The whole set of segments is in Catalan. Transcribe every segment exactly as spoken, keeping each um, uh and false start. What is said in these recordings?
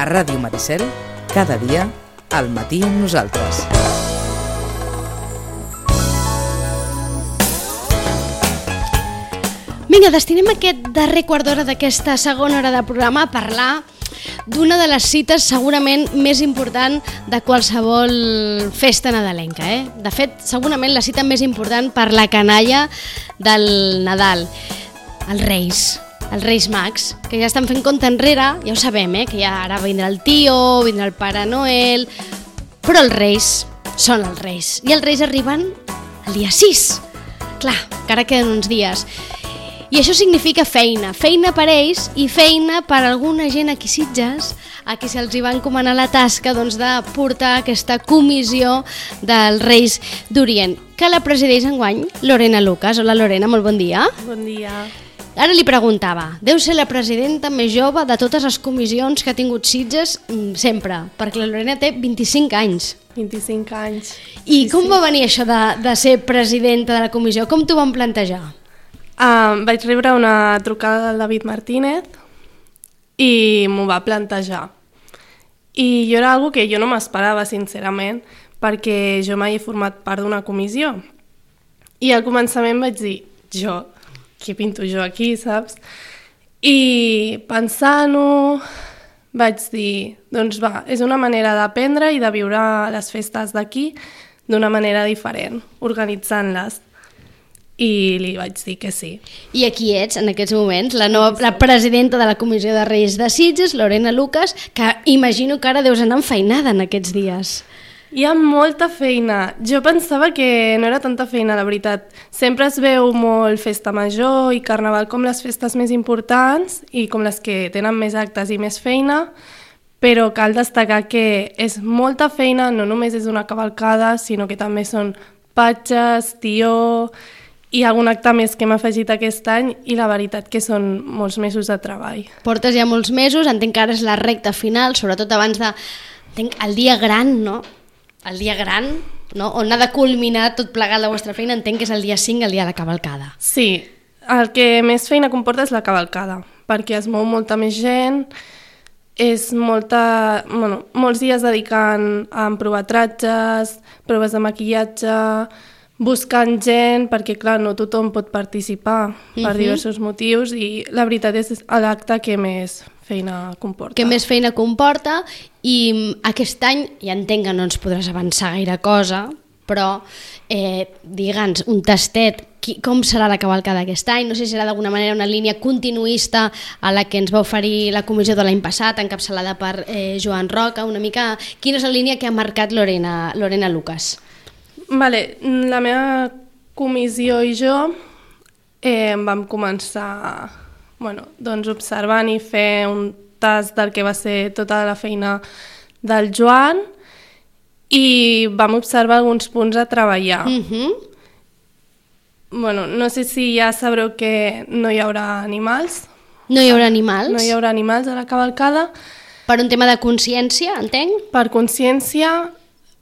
Ràdio Maricel, cada dia, al matí amb nosaltres. Vinga, destinem aquest darrer quart d'hora d'aquesta segona hora de programa a parlar d'una de les cites segurament més important de qualsevol festa nadalenca. Eh? De fet, segurament la cita més important per la canalla del Nadal, els Reis, els Reis Mags, que ja estan fent compte enrere, ja ho sabem, eh? Que ja ara vindrà el tio, vindrà el Pare Noel, però els Reis són els Reis, i els Reis arriben el dia sis. Clar, encara queden uns dies. I això significa feina, feina per ells i feina per alguna gent aquí a Sitges, a qui se'ls va encomanar la tasca doncs, de portar aquesta comissió dels Reis d'Orient, que la presideix enguany Lorena Lucas. Hola Lorena, molt bon dia. Bon dia. Ara li preguntava, deu ser la presidenta més jove de totes les comissions que ha tingut Sitges sempre, perquè la Lorena té vint-i-cinc anys. vint-i-cinc anys. I sí, com sí. va venir això de, de ser presidenta de la comissió? Com t'ho van plantejar? Uh, vaig rebre una trucada del David Martínez i m'ho va plantejar. I jo era algo que jo no m'esperava, sincerament, perquè jo mai he format part d'una comissió. I al començament vaig dir, jo, què pinto jo aquí, saps? I pensant-ho, vaig dir, doncs va, és una manera d'aprendre i de viure les festes d'aquí d'una manera diferent, organitzant-les. I li vaig dir que sí. I aquí ets, en aquests moments, la nova la presidenta de la Comissió de Reis de Sitges, Lorena Lucas, que imagino que ara deus anar enfeinada en aquests dies. Hi ha molta feina. Jo pensava que no era tanta feina, la veritat. Sempre es veu molt festa major i carnaval com les festes més importants i com les que tenen més actes i més feina, però cal destacar que és molta feina, no només és una cavalcada, sinó que també són patges, tió i algun acte més que hem afegit aquest any i la veritat que són molts mesos de treball. Portes ja molts mesos, entenc que ara és la recta final, sobretot abans de... Entenc, el dia gran, no? El dia gran, no? On ha de culminar tot plegat la vostra feina, entenc que és el dia cinc, el dia de la cavalcada. Sí, el que més feina comporta és la cavalcada, perquè es mou molta més gent, és molta, bueno, molts dies dedicant a provar tratges, proves de maquillatge, buscant gent, perquè clar, no tothom pot participar per uh-huh. diversos motius i la veritat és l'acte que més feina comporta. Que més feina comporta i aquest any, ja entenc que no ens podràs avançar gaire cosa, però eh, digue'ns un tastet, qui, com serà la cavalcada aquest any? No sé si serà d'alguna manera una línia continuista a la que ens va oferir la comissió de l'any passat, encapçalada per eh, Joan Roca, una mica... Quina és la línia que ha marcat Lorena, Lorena Lucas? Vale, la meva comissió i jo eh, vam començar bueno, doncs observant i fer un tast del que va ser tota la feina del Joan i vam observar alguns punts a treballar. Uh-huh. Bueno, no sé si ja sabreu que no hi haurà animals. No hi haurà animals? No hi haurà animals a la cavalcada. Per un tema de consciència, entenc? Per consciència,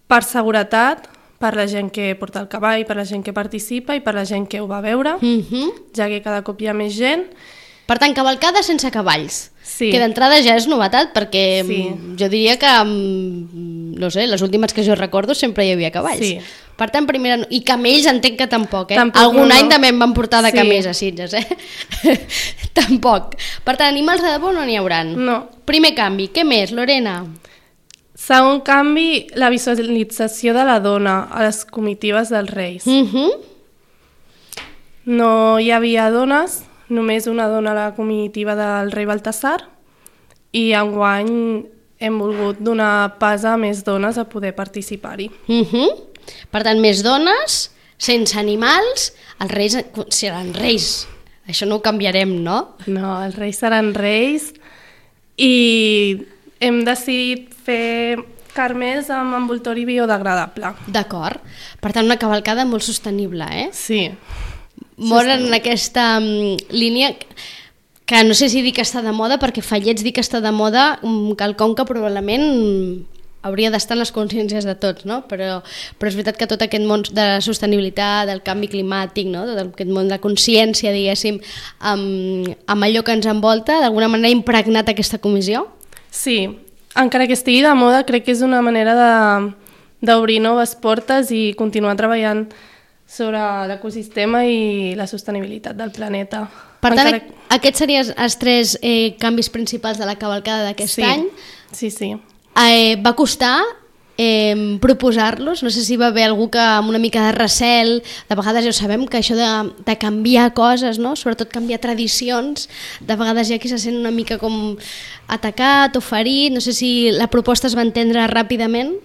per seguretat, per la gent que porta el cavall, per la gent que participa i per la gent que ho va veure, uh-huh. ja que cada cop hi ha més gent. Per tant, cavalcada sense cavalls. Sí. Que d'entrada ja és novetat, perquè sí. jo diria que, no sé, les últimes que jo recordo sempre hi havia cavalls. Sí. Per tant, primera... I camells entenc que tampoc, eh? Tampoc, Algun no, any no. també em van portar de sí. camells a Sitges, eh? Tampoc. Per tant, animals de debò no n'hi hauran. No. Primer canvi. Què més, Lorena? Segon canvi, la visualització de la dona a les comitives dels Reis. Uh-huh. No hi havia dones, només una dona a la comitiva del rei Baltasar i enguany hem volgut donar pas a més dones a poder participar-hi. Uh-huh. Per tant, més dones, sense animals, els reis seran reis. Això no ho canviarem, no? No, els reis seran reis i hem decidit fer carmels amb envoltori biodegradable. D'acord. Per tant, una cavalcada molt sostenible, eh? Sí. Molt en aquesta um, línia que no sé si dir que està de moda, perquè Fallets dir que està de moda, um, quelcom que probablement hauria d'estar en les consciències de tots, no? Però, però és veritat que tot aquest món de la sostenibilitat, del canvi climàtic, no? Tot aquest món de consciència, diguéssim, amb, amb allò que ens envolta, d'alguna manera ha impregnat aquesta comissió? Sí, encara que estigui de moda, crec que és una manera de d'obrir noves portes i continuar treballant sobre l'ecosistema i la sostenibilitat del planeta. Per tant, Encara... aquests serien els tres eh, canvis principals de la cavalcada d'aquest sí. any. Sí, sí. Eh, va costar eh, proposar-los? No sé si va haver algú que amb una mica de recel, de vegades ja ho sabem, que això de, de canviar coses, no? Sobretot canviar tradicions, de vegades hi ha qui se sent una mica com atacat o ferit, no sé si la proposta es va entendre ràpidament.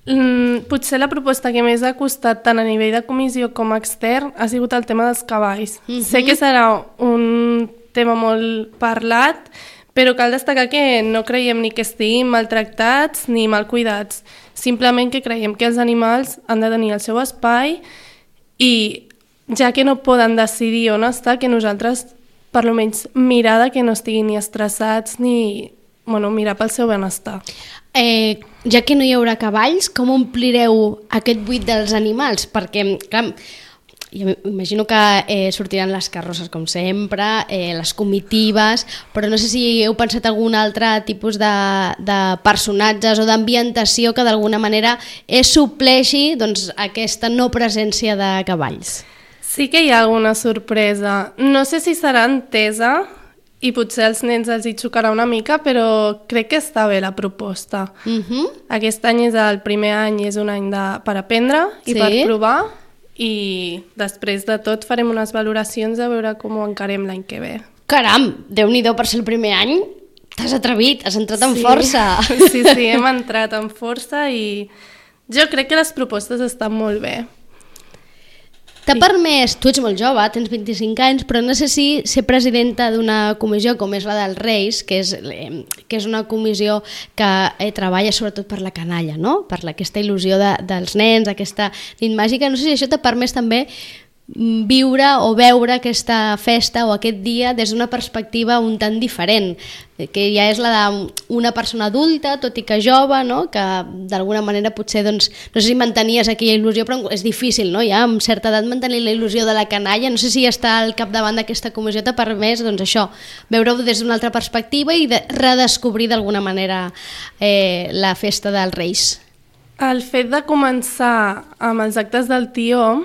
Mm, potser la proposta que més ha costat tant a nivell de comissió com extern ha sigut el tema dels cavalls. Uh-huh. Sé que serà un tema molt parlat, però cal destacar que no creiem ni que estiguin maltractats ni mal cuidats. Simplement que creiem que els animals han de tenir el seu espai i ja que no poden decidir on estar, que nosaltres per lo menys mirar de que no estiguin ni estressats ni bueno, mirar pel seu benestar. Eh, ja que no hi haurà cavalls, com omplireu aquest buit dels animals? Perquè, clar, jo imagino que eh, sortiran les carrosses com sempre, eh, les comitives, però no sé si heu pensat algun altre tipus de, de personatges o d'ambientació que d'alguna manera es supleixi doncs, aquesta no presència de cavalls. Sí que hi ha alguna sorpresa. No sé si serà entesa i potser als nens els hi xocarà una mica, però crec que està bé la proposta. Uh-huh. Aquest any és el primer any, és un any de, per aprendre i sí. per provar, i després de tot farem unes valoracions a veure com ho encarem l'any que ve. Caram, Déu-n'hi-do, per ser el primer any t'has atrevit, has entrat amb sí. força. Sí, sí, hem entrat amb força i jo crec que les propostes estan molt bé. T'ha permès, tu ets molt jove, tens vint-i-cinc anys, però no sé si ser presidenta d'una comissió com és la dels Reis, que és, que és una comissió que eh, treballa sobretot per la canalla, no? Per aquesta il·lusió de, dels nens, aquesta nit màgica, no sé si això t'ha permès també viure o veure aquesta festa o aquest dia des d'una perspectiva un tant diferent, que ja és la d'una persona adulta, tot i que jove, no? Que d'alguna manera potser, doncs, no sé si mantenies aquella il·lusió, però és difícil, no? Ja amb certa edat mantenir la il·lusió de la canalla, no sé si estar al capdavant d'aquesta comissió t'ha permès, doncs això, veure-ho des d'una altra perspectiva i de redescobrir d'alguna manera eh, la festa dels Reis. El fet de començar amb els actes del Tió,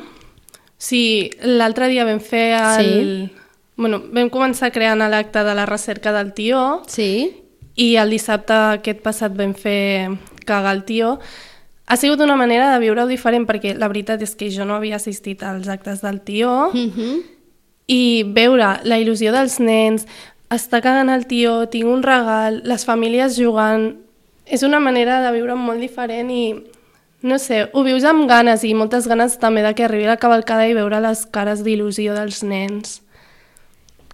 sí, l'altre dia vam fer el... Sí. Bueno, vam començar creant l'acte de la recerca del Tió sí. i el dissabte aquest passat vam fer cagar el Tió. Ha sigut una manera de viure-ho diferent perquè la veritat és que jo no havia assistit als actes del Tió uh-huh. i veure la il·lusió dels nens, estar cagant el Tió, tinc un regal, les famílies jugant, és una manera de viure molt diferent i no sé, ho vius amb ganes i moltes ganes també de que arribi la cavalcada i veure les cares d'il·lusió dels nens.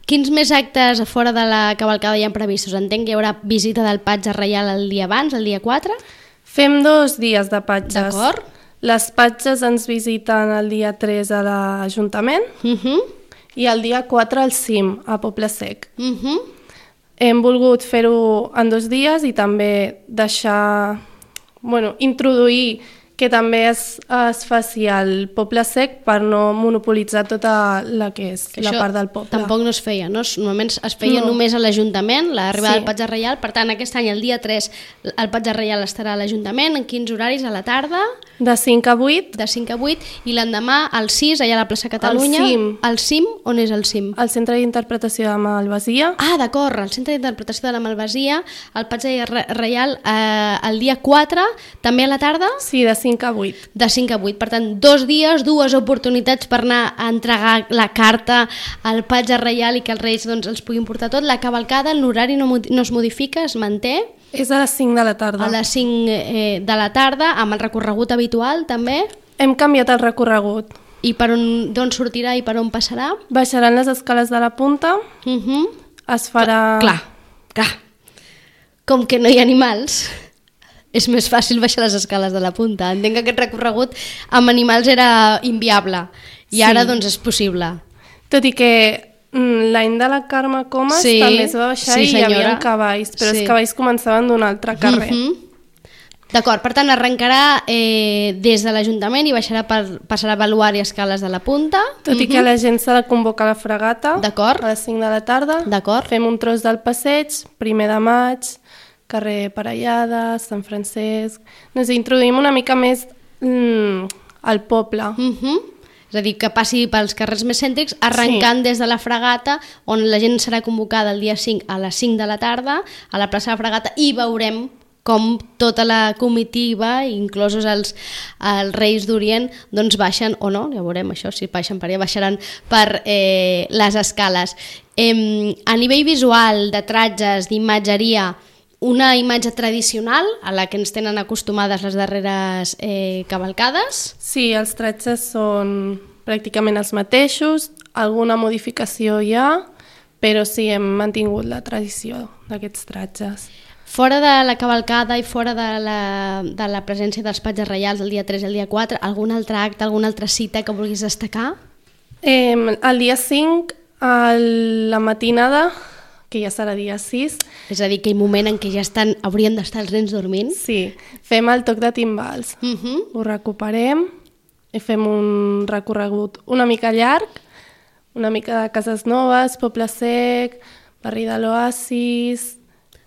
Quins més actes a fora de la cavalcada hi ha previstos? Entenc que hi haurà visita del patge reial el dia abans, el dia quatre? Fem dos dies de patges. D'acord. Les patges ens visiten el dia tres a l'Ajuntament uh-huh. i el dia quatre al cim, a Poble Sec. Uh-huh. Hem volgut fer-ho en dos dies i també deixar... Bueno, introduir que també es, es faci al Poble Sec per no monopolitzar tota la que és que la part del poble. Tampoc no es feia, no? Normalment es feia no. només a l'Ajuntament, l'arribada sí. del patge reial, per tant aquest any, el dia tres, el patge reial estarà a l'Ajuntament, en quins horaris? A la tarda? De cinc a vuit. De cinc a vuit, i l'endemà al sis, allà a la plaça Catalunya. Al cim. Al cim? On és el cim? Al Centre d'Interpretació de Malvasia. Ah, d'acord, al Centre d'Interpretació de la Malvasia, el patge reial eh, el dia quatre, també a la tarda? Sí, de cinc a vuit. De cinc a vuit, per tant, dos dies, dues oportunitats per anar a entregar la carta al patge reial i que els Reis doncs, els puguin portar tot. La cavalcada, l'horari no, no es modifica, es manté? És a les cinc de la tarda. A les cinc eh, de la tarda, amb el recorregut habitual també? Hem canviat el recorregut. I per on, d'on sortirà i per on passarà? Baixaran les escales de la punta, uh-huh. es farà... Clar, clar, com que no hi ha animals... és més fàcil baixar les escales de la punta. Entenc que aquest recorregut amb animals era inviable i sí. ara doncs és possible. Tot i que l'any de la Carme Comas sí. també es va baixar sí, i hi havia cavalls, però sí. els cavalls començaven d'un altre carrer. Mm-hmm. D'acord, per tant arrencarà eh, des de l'Ajuntament i baixarà per, passarà a Baluar i escales de la punta. Tot mm-hmm. i que la gent s'ha de convocar a la fregata a les cinc de la tarda. D'acord. Fem un tros del passeig, primer de maig, carrer Parellada, Sant Francesc... Ens introduïm una mica més mm, al poble. Uh-huh. És a dir, que passi pels carrers més cèntrics, arrencant sí. des de la Fragata, on la gent serà convocada el dia cinc a les cinc de la tarda, a la plaça de la Fragata, i veurem com tota la comitiva, inclosos els, els Reis d'Orient, doncs baixen, o no, ja veurem això, si baixen per allà, baixaran per eh, les escales. Eh, a nivell visual, de tratges, d'imatgeria, una imatge tradicional a la que ens tenen acostumades les darreres eh, cavalcades? Sí, els tratges són pràcticament els mateixos, alguna modificació hi ha, però sí, hem mantingut la tradició d'aquests tratges. Fora de la cavalcada i fora de la, de la presència dels patges reials el dia tres i el dia quatre, algun altre acte, alguna altra cita que vulguis destacar? Eh, el dia cinc, a la matinada, que ja serà dia sis. És a dir, aquell moment en què ja estan, haurien d'estar els nens dormint. Sí, fem el toc de timbals. Uh -huh. Ho recuperem i fem un recorregut una mica llarg, una mica de Cases Noves, Poble Sec, barri de l'Oasis,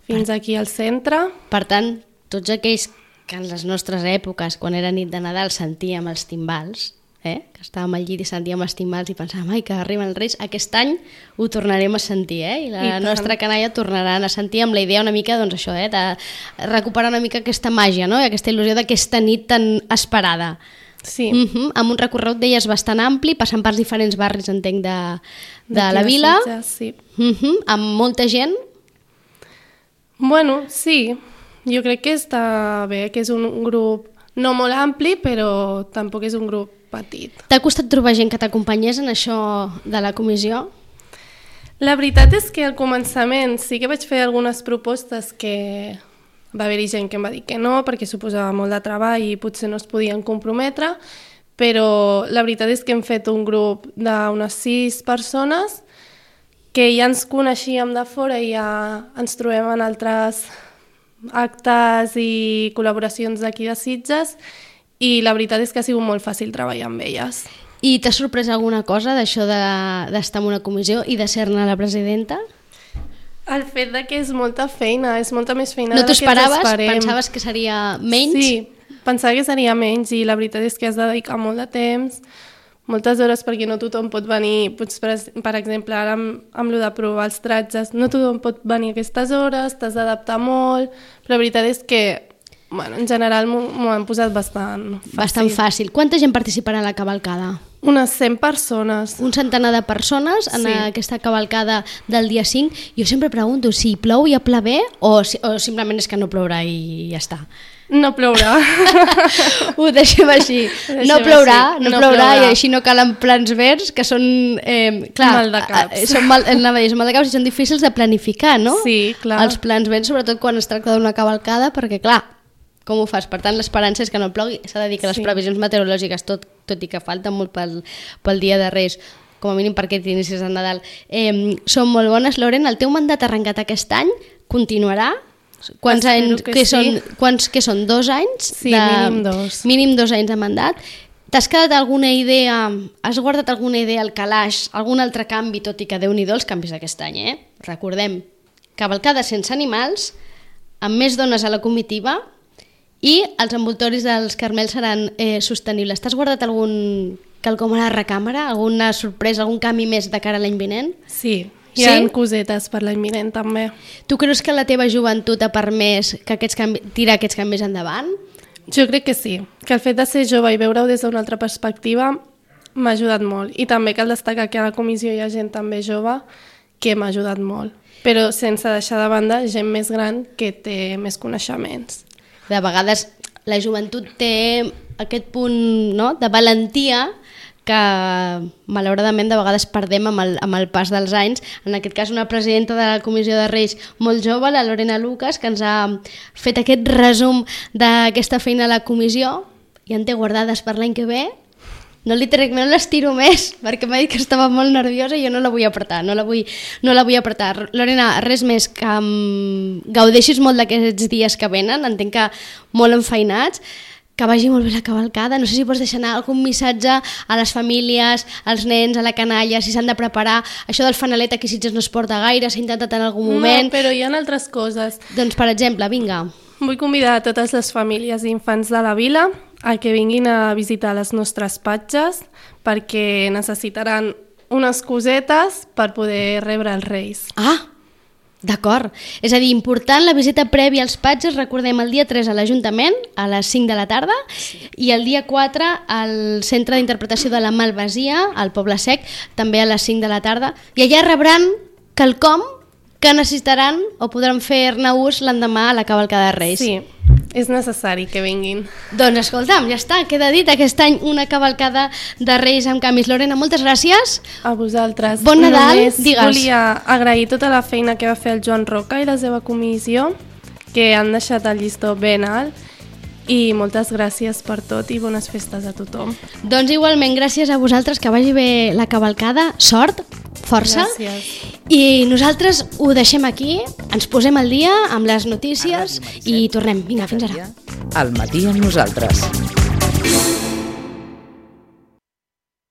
fins aquí al centre. Per tant, tots aquells que en les nostres èpoques, quan era nit de Nadal, sentíem els timbals, eh? que estàvem al llit i sentíem els timbals i pensàvem, ai, que arriben els Reis, aquest any ho tornarem a sentir, eh? i la I nostra canalla tornaran a sentir amb la idea una mica, doncs això, eh? de recuperar una mica aquesta màgia, no? I aquesta il·lusió d'aquesta nit tan esperada. Sí. Uh -huh. Amb un recorregut, deies, bastant ampli, passant pels diferents barris, entenc, de, de la vila. Sitges, sí. Uh -huh. Amb molta gent. Bueno, sí, jo crec que està bé, que és un grup no molt ampli, però tampoc és un grup petit. T'ha costat trobar gent que t'acompanyés en això de la comissió? La veritat és que al començament sí que vaig fer algunes propostes que va haver-hi gent que em va dir que no, perquè suposava molt de treball i potser no es podien comprometre, però la veritat és que hem fet un grup d'unes sis persones que ja ens coneixíem de fora i ja ens trobem en altres actes i col·laboracions d'aquí de Sitges i la veritat és que ha sigut molt fàcil treballar amb elles. I t'ha sorprès alguna cosa d'això de, d'estar en una comissió i de ser-ne la presidenta? El fet de que és molta feina, és molta més feina no de la que ens esperaves? esperem. Pensaves que seria menys? Sí, pensava que seria menys i la veritat és que has de dedicar molt de temps, moltes hores perquè no tothom pot venir, pots, per, per exemple, ara amb, amb lo de provar els tratges, no tothom pot venir a aquestes hores, t'has d'adaptar molt, però la veritat és que, bueno, en general m'ho han posat bastant fàcil. Bastant fàcil. Quanta gent participarà a la cavalcada? Unes cent persones. Un centenar de persones en sí. aquesta cavalcada del dia cinc. Jo sempre pregunto si plou i a pla bé o, si, o simplement és que no plourà i ja està. No plourà. Ho deixem així. Ho deixem no plourà, així. no, no plourà, plourà i així no calen plans verds que són... Eh, clar, mal de caps. Són mal, són mal de caps i són difícils de planificar, no? Sí, clar. Els plans verds, sobretot quan es tracta d'una cavalcada, perquè clar, com ho fas? Per tant, l'esperança és que no plogui. S'ha de dir que les sí. previsions meteorològiques, tot, tot i que falten molt pel, pel dia de Reis, com a mínim per aquest inicis de Nadal, eh, són molt bones. Lorena, el teu mandat arrencat aquest any continuarà? Quants anys, que, que, sí. són, quants, que són dos anys? Sí, de, mínim dos. Mínim dos anys de mandat. T'has quedat alguna idea, has guardat alguna idea al calaix, algun altre canvi, tot i que Déu-n'hi-do els canvis d'aquest any, eh? Recordem, cavalcada sense animals, amb més dones a la comitiva i els envoltoris dels Carmels seran eh, sostenibles. T'has guardat algun quelcom a la recàmera? Alguna sorpresa, algun canvi més de cara a l'any vinent? Sí. Hi ha sí? cosetes per l'any vinent també. Tu creus que la teva joventut ha permès que aquests canvi... tirar aquests canvis endavant? Jo crec que sí, que el fet de ser jove i veure-ho des d'una altra perspectiva m'ha ajudat molt. I també cal destacar que a la comissió hi ha gent també jove que m'ha ajudat molt, però sense deixar de banda gent més gran que té més coneixements. De vegades la joventut té aquest punt, no?, de valentia que malauradament de vegades perdem amb el, amb el pas dels anys. En aquest cas una presidenta de la Comissió de Reis molt jove, la Lorena Lucas, que ens ha fet aquest resum d'aquesta feina a la comissió i en té guardades per l'any que ve. No li trec, no l'estiro més perquè m'ha dit que estava molt nerviosa i jo no la vull apretar, no la vull, no la vull apretar. Lorena, res més, que um, gaudeixis molt d'aquests dies que venen, entenc que molt enfeinats. que vagi molt bé la cavalcada. No sé si pots deixar anar algun missatge a les famílies, als nens, a la canalla, si s'han de preparar. Això del fanalet aquí a Sitges no es porta gaire, s'ha intentat en algun moment. No, però hi ha altres coses. Doncs, per exemple, vinga. Vull convidar a totes les famílies i infants de la vila a que vinguin a visitar les nostres patges perquè necessitaran unes cosetes per poder rebre els Reis. Ah, d'acord. És a dir, important la visita prèvia als patges, recordem, el dia tres a l'Ajuntament, a les cinc de la tarda, i el dia quatre al Centre d'Interpretació de la Malvasia, al Poble Sec, també a les cinc de la tarda, i allà rebran quelcom que necessitaran o podran fer-ne ús l'endemà a la cavalcada de Reis. Sí, és necessari que vinguin. Doncs escolta'm, ja està, queda dit aquest any una cavalcada de Reis amb camis. Lorena, moltes gràcies. A vosaltres. Bon Nadal, Només digues. volia agrair tota la feina que va fer el Joan Roca i la seva comissió, que han deixat el llistó ben alt, i moltes gràcies per tot i bones festes a tothom. Doncs igualment, gràcies a vosaltres, que vagi bé la cavalcada, sort, força. Gràcies. I nosaltres ho deixem aquí, ens posem al dia amb les notícies i tornem. Vinga, fins ara. Al matí amb nosaltres.